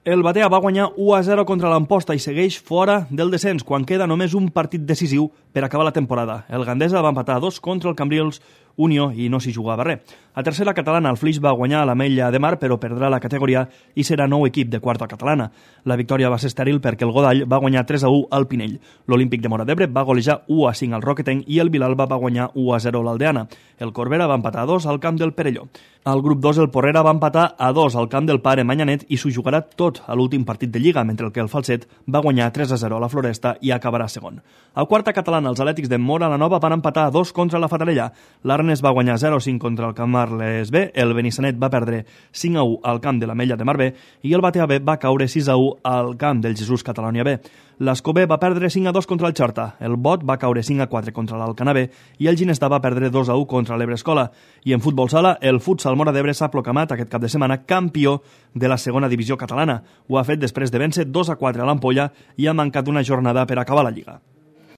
El Batea va guanyar 1-0 contra l'Amposta i segueix fora del descens quan queda només un partit decisiu per acabar la temporada. El Gandesa va empatar 2 contra el Cambrils Unió i no s'hi jugava res. A tercera catalana, el Flix va guanyar a l'Ametlla de Mar, però perdrà la categoria i serà nou equip de quarta catalana. La victòria va ser estèril perquè el Godall va guanyar 3-1 al Pinell. L'Olímpic de Móra d'Ebre va golejar 1-5 al Roquetenc i el Vilalba va guanyar 1-0 a l'Aldeana. El Corbera va empatar 2 al camp del Perelló. Al grup 2, el Porrera va empatar a 2 al camp del Pare Manyanet i s'ho jugarà tot a l'últim partit de Lliga, mentre que el Falset va guanyar 3-0 a la Floresta i acabarà segon. A quarta catalana, els Atlètics de Móra la Nova van empatar a 2 contra la Fatarella. L'Arnes va guanyar 0-5 contra el Camarles B, el Benissanet va perdre 5-1 al camp de l'Ametlla de Mar B i el Batea B va caure 6-1 al camp del Jesús Catalònia B. L'Escobé va perdre 5-2 contra el Xorta, el Bot va caure 5-4 contra l'Alcanar B i el Ginestà va perdre 2-1 contra l'Ebre Escola. I en futbol sala, el Futsal Móra d'Ebre s'ha proclamat aquest cap de setmana campió de la segona divisió catalana. Ho ha fet després de vèncer 2-4 a l'Ampolla i ha mancat una jornada per acabar la Lliga.